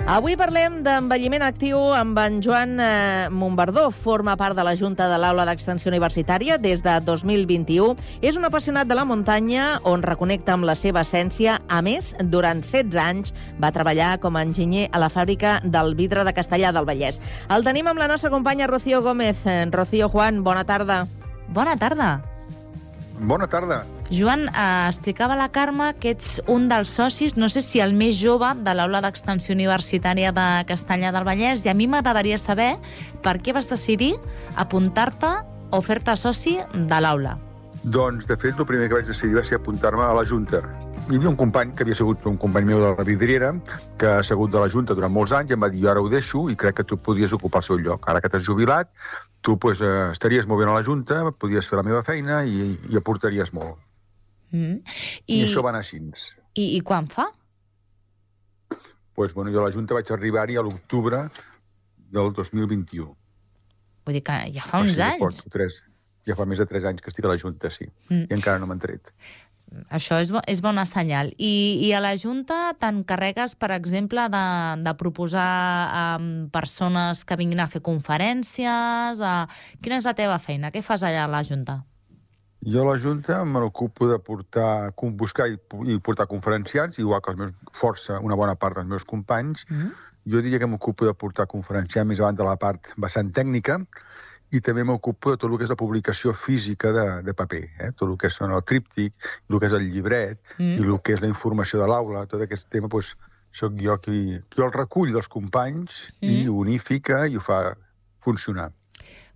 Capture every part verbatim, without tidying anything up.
Avui parlem d'envelliment actiu amb en Joan eh, Montbardó. Forma part de la Junta de l'Aula d'Extensió Universitària des de dos mil vint-i-u. És un apassionat de la muntanya on reconnecta amb la seva essència. A més, durant setze anys va treballar com a enginyer a la fàbrica del vidre de Castellar del Vallès. El tenim amb la nostra companya Rocío Gómez. Rocío, Juan, bona tarda. Bona tarda. Bona tarda. Joan, eh, explicava la Carme que ets un dels socis, no sé si el més jove, de l'Aula d'Extensió Universitària de Castellar del Vallès, i a mi m'agradaria saber per què vas decidir apuntar-te o fer-te soci de l'Aula. Doncs, de fet, el primer que vaig decidir va ser apuntar-me a la Junta. Hi havia un company, que havia sigut un company meu de la vidriera, que ha sigut de la Junta durant molts anys, i em va dir, jo ara ho deixo i crec que tu podies ocupar el seu lloc. Ara que t'has jubilat, tu pues, eh, estaries molt bé a la Junta, podries fer la meva feina i, i aportaries molt. Mm. I... I això va anar així. I, I quan fa? Pues, bueno, jo a la Junta vaig arribar-hi a l'octubre del dos mil vint-i-u. Vull dir que ja fa uns o sigui, anys. Tres, ja fa més de tres anys que estic a la Junta, sí. Mm. I encara no m'han tret. Això és, bo, és bona senyal. I, I a la Junta t'encarregues, per exemple, de, de proposar um, persones que vinguin a fer conferències? A... Quina és la teva feina? Què fas allà a la Junta? Jo a la Junta me n'ocupo de portar, buscar i, i portar conferenciants, igual que els meus, força, una bona part dels meus companys. Mm-hmm. Jo diria que m'ocupo de portar conferenciants més avant de la part vessant tècnica, i també m'ocupo de tot el que és la publicació física de, de paper, eh? Tot el que són el tríptic, el que és el llibret, mm. i el que és la informació de l'aula. Tot aquest tema, doncs, soc jo qui, qui el recull dels companys mm. i ho unifica i ho fa funcionar.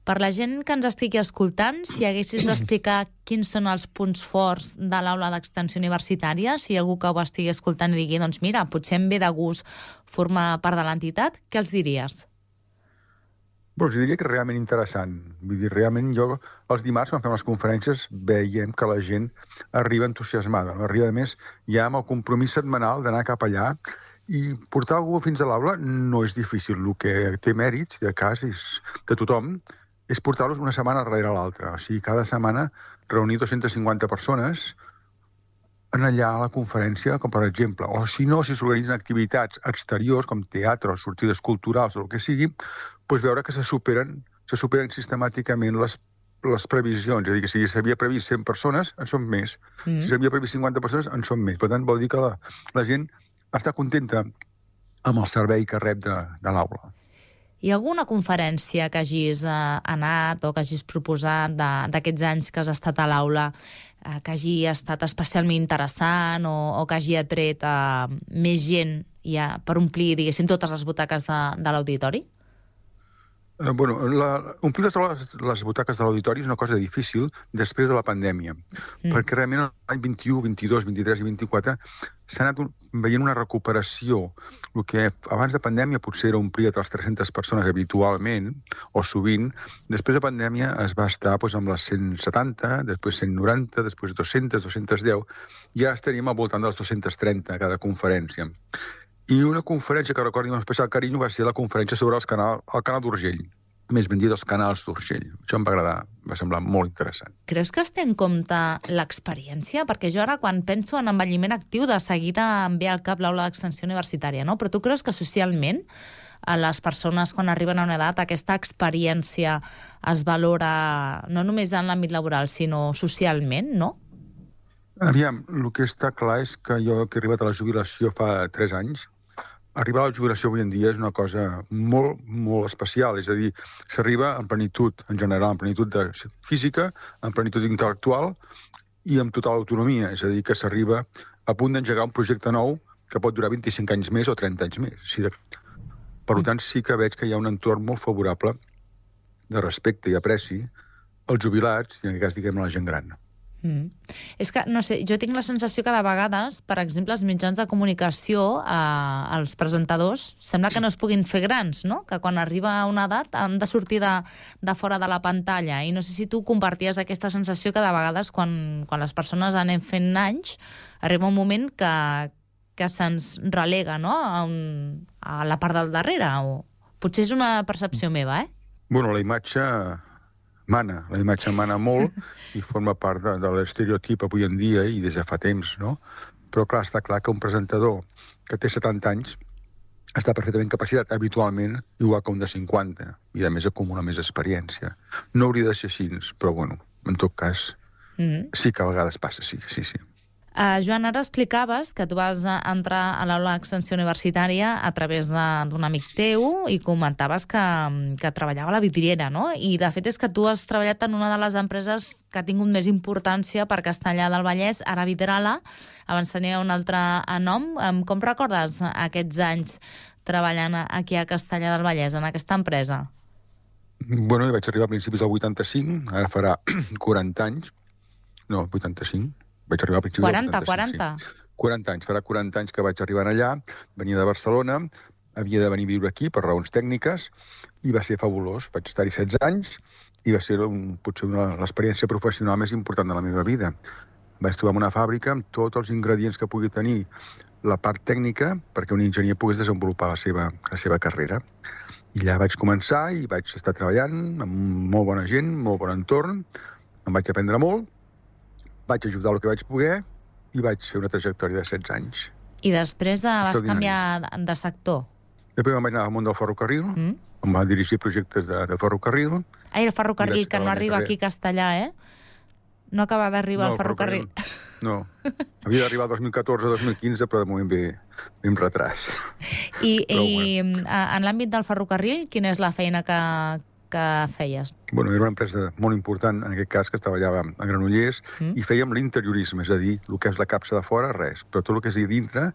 Per la gent que ens estigui escoltant, si haguessis d'explicar quins són els punts forts de l'Aula d'Extensió Universitària, si algú que ho estigui escoltant i digui, doncs mira, potser em ve de gust formar part de l'entitat, què els diries? Doncs diria que és realment interessant. Vull dir, realment jo, els dimarts, quan fem les conferències, veiem que la gent arriba entusiasmada. No? Arriba, a més, ja amb el compromís setmanal d'anar cap allà, i portar algú fins a l'aula no és difícil. El que té mèrits, de cas, és de tothom, és portar-los una setmana darrere l'altra. O sigui, cada setmana reunir dues-centes cinquanta persones en allà a la conferència, com per exemple. O si no, si s'organitzen activitats exteriors, com teatre o sortides culturals o el que sigui, doncs veure que se superen, se superen sistemàticament les, les previsions. És a dir, que si s'havia previst cent persones, en són més. Mm. Si s'havia previst cinquanta persones, en són més. Per tant, vol dir que la, la gent està contenta amb el servei que rep de, de l'aula. Hi ha alguna conferència que hagis eh, anat o que hagis proposat d'aquests anys que has estat a l'aula eh, que hagi estat especialment interessant o, o que hagi atret eh, més gent ja, per omplir, diguéssim, totes les butaques de, de l'auditori? Eh, bueno, la, omplir les, les butaques de l'auditori és una cosa difícil després de la pandèmia, mm. perquè realment l'any vint-i-u, vint-i-dos, vint-i-tres i vint-i-quatre s'ha anat un, veient una recuperació. El que abans de pandèmia potser era omplir a les tres-centes persones habitualment, o sovint, després de pandèmia es va estar doncs, amb les cent setanta, després cent noranta, després dos-centes, dos-centes deu, i ara estaríem al voltant de les dos-centes trenta a cada conferència. I una conferència que recordo amb especial carinyo va ser la conferència sobre els canal, el canal d'Urgell, més ben dit, els canals d'Urgell. Això em va agradar, va semblar molt interessant. Creus que es té en compte l'experiència? Perquè jo ara, quan penso en envelliment actiu, de seguida em ve al cap l'Aula d'Extensió Universitària, no? Però tu creus que socialment a les persones, quan arriben a una edat, aquesta experiència es valora no només en l'àmbit laboral, sinó socialment, no? Aviam, el que està clar és que jo, que he arribat a la jubilació fa tres anys, arribar a la jubilació avui en dia és una cosa molt, molt especial. És a dir, s'arriba en plenitud, en general, en plenitud de física, en plenitud intel·lectual i amb total autonomia. És a dir, que s'arriba a punt d'engegar un projecte nou que pot durar vint-i-cinc anys més o trenta anys més. Sí, de... Per tant, sí que veig que hi ha un entorn molt favorable de respecte i apreci als jubilats i en aquest cas, diguem, a la gent gran. Mm. És que, no sé, jo tinc la sensació que de vegades, per exemple, els mitjans de comunicació, eh, els presentadors, sembla que no es puguin fer grans, no? Que quan arriba a una edat han de sortir de, de fora de la pantalla. I no sé si tu comparties aquesta sensació que de vegades, quan, quan les persones anem fent anys, arriba un moment que, que se'ns relega, no? A, un, a la part del darrere. O... Potser és una percepció meva, eh? Bueno, la imatge... mana, la imatge mana molt i forma part de, de l'estereotip avui en dia i des de fa temps, no? Però clar, està clar que un presentador que té setanta anys està perfectament capacitat habitualment igual que un de cinquanta, i a més acumula més experiència. No hauria de ser així, però bueno, en tot cas, mm-hmm. sí que a vegades passa, sí, sí, sí. Uh, Joan, ara explicaves que tu vas entrar a l'aula d'extensió universitària a través d'un amic teu i comentaves que, que treballava a la vidriera, no? I de fet és que tu has treballat en una de les empreses que ha tingut més importància per Castellar del Vallès, ara Vidrala, abans tenia un altre nom. Com recordes aquests anys treballant aquí a Castellar del Vallès, en aquesta empresa? Bueno, jo vaig arribar a principis del vuitanta-cinc, ara farà quaranta anys, no, vuitanta-cinc, vaig arribar a principis quaranta, del quaranta. quaranta. Sí. quaranta anys, farà quaranta anys que vaig arribar allà, venia de Barcelona, havia de venir a viure aquí per raons tècniques, i va ser fabulós. Vaig estar-hi setze anys, i va ser un, potser una, l'experiència professional més important de la meva vida. Vaig trobar una fàbrica amb tots els ingredients que pugui tenir la part tècnica perquè un enginyer pogués desenvolupar la seva, la seva carrera. I allà vaig començar i vaig estar treballant amb molt bona gent, molt bon entorn, em vaig aprendre molt, vaig ajudar el que vaig poder i vaig fer una trajectòria de setze anys. I després eh, vas canviar de sector? Després me'n vaig anar al món del ferrocarril, mm. em va dirigir projectes de, de ferrocarril. Ai, el ferrocarril, que no arriba aquí a Castellar, eh? No acaba d'arribar no, el ferrocarril. ferrocarril. No, havia d'arribar el dos mil catorze dos mil quinze, però de moment ve, ve amb retras. I, i bueno. En l'àmbit del ferrocarril, quina és la feina que, que feies? Bueno, era una empresa molt important, en aquest cas, que treballava a Granollers, mm. i fèiem l'interiorisme, és a dir, el que és la capsa de fora, res, però tot el que és a dintre,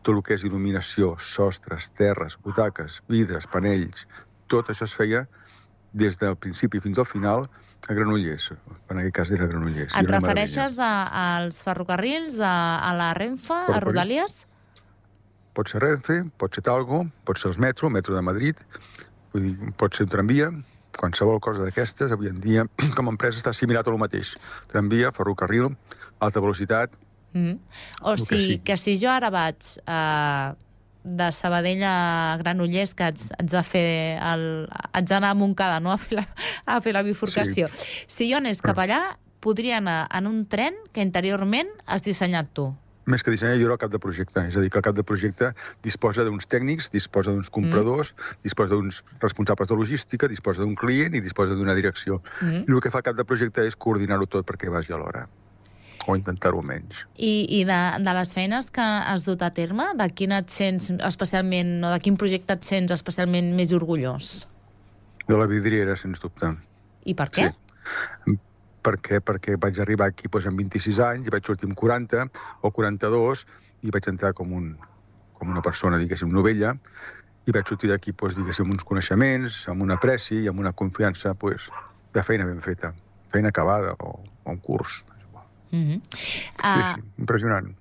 tot el que és il·luminació, sostres, terres, butaques, vidres, panells, tot això es feia des del principi fins al final a Granollers. En aquest cas era Granollers. Et refereixes a, als ferrocarrils, a, a la Renfe, a Rodalies? Pot ser Renfe, pot ser Talgo, pot ser el metro, el metro de Madrid, vull dir, pot ser un tramvia, qualsevol cosa d'aquestes, avui en dia, com a empresa està assimilat a el mateix. Tramvia, ferrocarril, alta velocitat... Mm. O sigui, que, sí. que si jo ara vaig eh, de Sabadell a Granollers, que haig, haig de fer el, haig d'anar a Montcada, no? a, fer la, a fer la bifurcació. Sí. Si jo anés cap allà, podria anar en un tren que interiorment has dissenyat tu. Més que dissenyar, jo era el cap de projecte. És a dir, que el cap de projecte disposa d'uns tècnics, disposa d'uns compradors, mm. disposa d'uns responsables de logística, disposa d'un client i disposa d'una direcció. Mm. I el que fa el cap de projecte és coordinar-ho tot perquè vagi alhora. O intentar-ho menys. I, i de, de les feines que has dut a terme, de quin et sents especialment, o de quin projecte et sents especialment més orgullós? De la vidriera, sens dubte. I per què? Sí. Per què? Perquè vaig arribar aquí doncs, amb vint-i-sis anys, i vaig sortir amb quaranta o quaranta-dos, i vaig entrar com, un, com una persona, diguéssim, novella, i vaig sortir d'aquí, doncs, diguéssim, amb uns coneixements, amb una apreci i amb una confiança doncs, de feina ben feta, feina acabada o, o un curs. Mm-hmm. uh... Sí, sí, impressionant.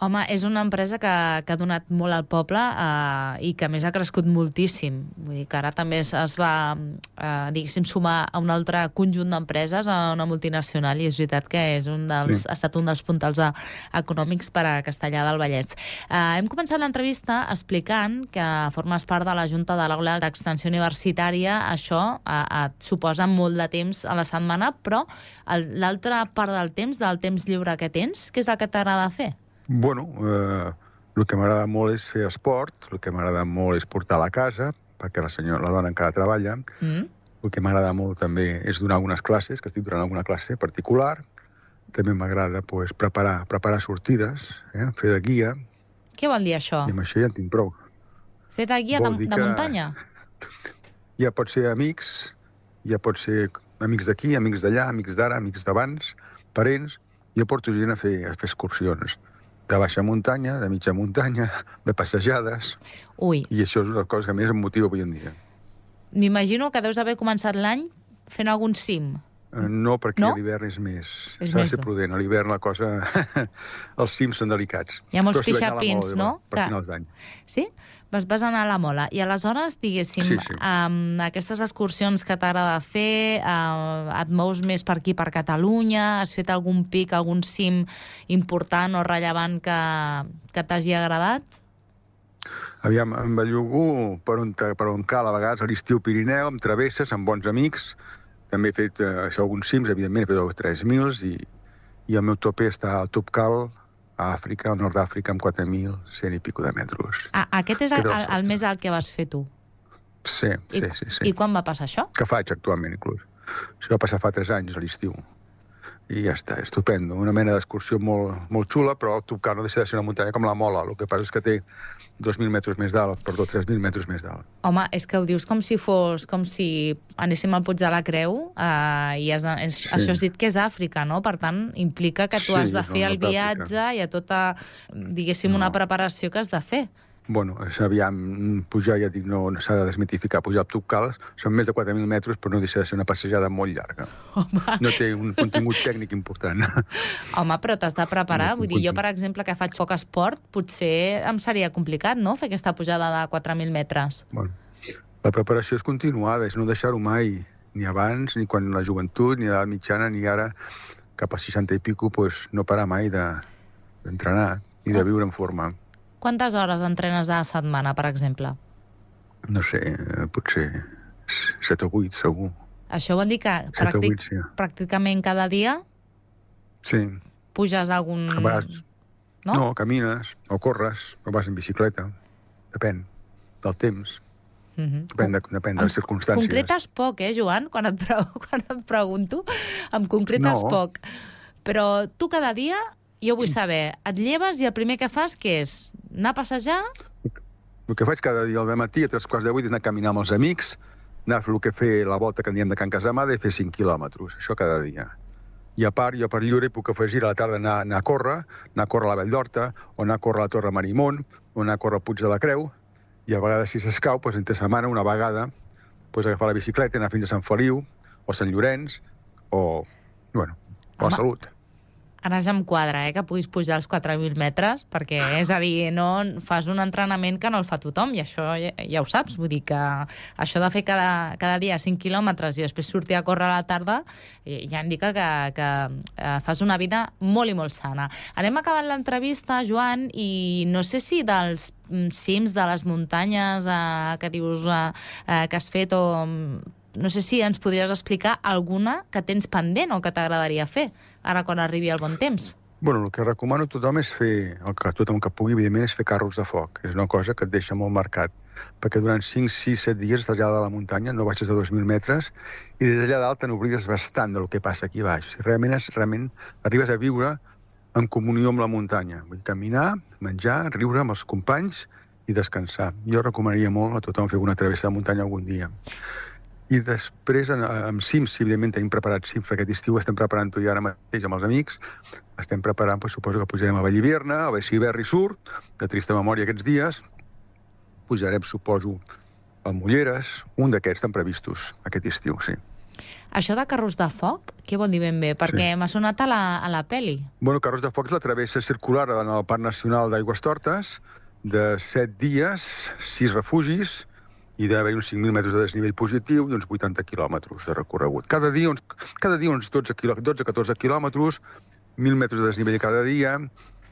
Home, és una empresa que, que ha donat molt al poble uh, i que a més ha crescut moltíssim. Vull dir que ara també es, es va uh, diguéssim, sumar a un altre conjunt d'empreses, a una multinacional, i és veritat que és un dels, sí. ha estat un dels puntals a, econòmics per a Castellar del Vallès. Uh, hem començat l'entrevista explicant que formes part de la Junta de l'Aula d'Extensió Universitària. Això uh, et suposa molt de temps a la setmana, però l'altra part del temps, del temps lliure que tens, què és el que t'agrada fer? Bueno, eh, el que m'agrada molt és fer esport, el que m'agrada molt és portar a la casa, perquè la senyora, la dona encara treballa. Mm. El que m'agrada molt també és donar algunes classes, que estic donant alguna classe particular. També m'agrada pues, preparar, preparar sortides, eh, fer de guia. Què vol dir això? I amb això ja en tinc prou. Fer de guia de, de muntanya? Ja pot ser amics, ja pot ser amics d'aquí, amics d'allà, amics d'ara, amics d'abans, parents. Jo porto gent a fer, a fer excursions. De baixa muntanya, de mitja muntanya, de passejades... Ui. I això és una cosa que més em motiva avui en dia. M'imagino que deus haver començat l'any fent algun cim. Uh, no, perquè no? a l'hivern és més... S'ha de ser prudent. A l'hivern la cosa... els cims són delicats. Hi ha molts si pixapins, mola, no? Per que... finals d'any. Sí? Vas, vas anar a la mola. I aleshores, diguéssim, sí, sí. amb aquestes excursions que t'agrada fer, eh, et mous més per aquí, per Catalunya, has fet algun pic, algun cim important o rellevant que, que t'hagi agradat? Aviam, em bellugo per on, per on cal, a vegades a l'estiu Pirineu, amb travesses, amb bons amics. També he fet eh, alguns cims, evidentment, he fet tres mil, i, i el meu tope està al Top Cal, a Àfrica, al nord d'Àfrica, amb quatre mil cent i pico de metres. Ah, aquest és el, el, el més alt que vas fer tu? Sí, sí, I, sí, sí. I quan va passar això? Que faig actualment, inclús. Això va passar fa tres anys, a l'estiu. I ja està, estupendo. Una mena d'excursió molt, molt xula, però el Toubkal no deixa de ser una muntanya com la Mola. El que passa és que té dos mil metres més dalt, perdó, tres mil metres més dalt. Home, és que ho dius com si fos, com si anéssim al Puig de la Creu, eh, i és, és, sí. Això has dit que és Àfrica, no? Per tant, implica que tu sí, has de fer no, el viatge i a tota, diguéssim, no. una preparació que has de fer. Bueno, aviam, pujar, ja dic, no, no s'ha de desmitificar. Pujar al Toubkal són més de quatre mil metres, però no deixa de ser una passejada molt llarga. Home. No té un contingut tècnic important. Home, però t'has de preparar. No, Vull dir, jo, per exemple, que faig poc esport, potser em seria complicat, no?, fer aquesta pujada de quatre mil metres. Bueno, la preparació és continuada, és no deixar-ho mai, ni abans, ni quan la joventut, ni a l'edat mitjana, ni ara, cap a seixanta i pico, pues, no parar mai d'entrenar de, i de viure en forma. Quantes hores entrenes a la setmana, per exemple? No sé, potser set o vuit, segur. Això vol dir que pràctic, vuit, sí. pràcticament cada dia sí. puges algun... Vas... No? no, camines, o corres, o vas en bicicleta. Depèn del temps. Uh-huh. Depèn de, depèn de les circumstàncies. Concretes poc, eh, Joan? Quan et, pre quan et pregunto, em concretes no. poc. Però tu cada dia, jo vull saber, et lleves i el primer que fas què és? Anar a passejar? El que faig cada dia al matí, a tres quarts de vuit, és anar a caminar amb els amics, anar a fer el que fer la volta que en diem de Can Casamada i fer cinc quilòmetres. Això cada dia. I a part, jo per lliure puc afegir a la tarda anar, anar a córrer, anar a córrer a la Vall d'Horta, o anar a córrer a la Torre Marimón, o anar a córrer al Puig de la Creu, i a vegades, si s'escau, doncs, entre setmana, una vegada, doncs, agafar la bicicleta, anar fins a Sant Feliu, o Sant Llorenç, o, bueno, o a Salut. Ara ja em quadra, eh, que puguis pujar els quatre mil metres, perquè, és a dir, no fas un entrenament que no el fa tothom, i això ja, ja ho saps. Vull dir que això de fer cada, cada dia cinc quilòmetres i després sortir a córrer a la tarda ja indica que, que eh, fas una vida molt i molt sana. Anem acabant l'entrevista, Joan, i no sé si dels cims de les muntanyes eh, que dius eh, que has fet, o no sé si ens podries explicar alguna que tens pendent o que t'agradaria fer ara quan arribi el bon temps. Bueno, el que recomano a tothom és fer, el que tothom que pugui, evidentment, és fer carros de foc. És una cosa que et deixa molt marcat, perquè durant cinc, sis, set dies estàs allà de la muntanya, no baixes de dos mil metres, i des d'allà dalt te n'oblides bastant del que passa aquí baix. Realment, és, realment arribes a viure en comunió amb la muntanya. Vull caminar, menjar, riure amb els companys i descansar. Jo recomanaria molt a tothom fer una travessa de muntanya algun dia. I després, amb cims, si evidentment tenim preparat cims, aquest estiu estem preparant-ho ja ara mateix amb els amics, estem preparant, doncs, suposo que pujarem a Vallhivierna, a Baixiberri Sur, de trista memòria aquests dies, pujarem, suposo, al Mulleres, un d'aquests estan previstos aquest estiu, sí. Això de carros de foc, què vol dir ben bé? Perquè sí. m'ha sonat a la, a la peli. Bueno, carros de foc és la travessa circular en el Parc Nacional d'Aigüestortes, de set dies, sis refugis, i d'haver uns cinc mil metres de desnivell positiu i uns vuitanta quilòmetres de recorregut. Cada dia uns, cada dia uns dotze a catorze quilòmetres, mil metres de desnivell cada dia,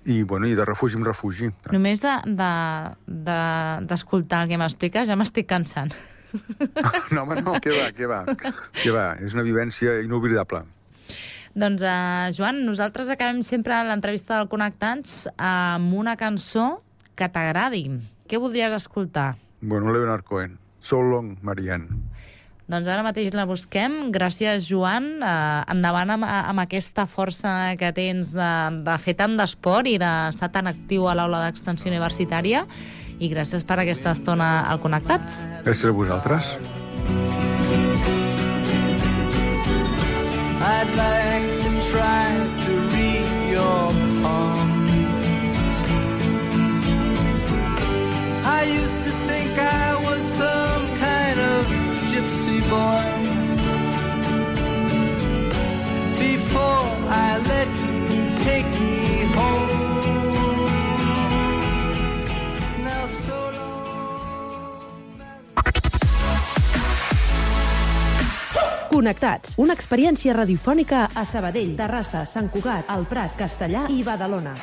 i, bueno, i de refugi en refugi. Només d'escoltar de, de, de, el que m'expliques ja m'estic cansant. No, home, no, què va, què va. Què va, és una vivència inoblidable. Doncs, uh, Joan, nosaltres acabem sempre l'entrevista del Connectats amb una cançó que t'agradi. Què voldries escoltar? Bueno, Leonard Cohen. So Long, Marianne. Doncs ara mateix la busquem. Gràcies, Joan. Uh, endavant amb, amb aquesta força que tens de, de fer tant d'esport i d'estar tan actiu a l'aula d'extensió universitària. I gràcies per aquesta estona al Connectats. Gràcies a vosaltres. I'd like to try to read your palm. I used to think I was some kind of gypsy boy before I let you take me home. Now so long. Connectats, una experiència radiofònica a Sabadell, Terrassa, Sant Cugat, El Prat, Castellar i Badalona.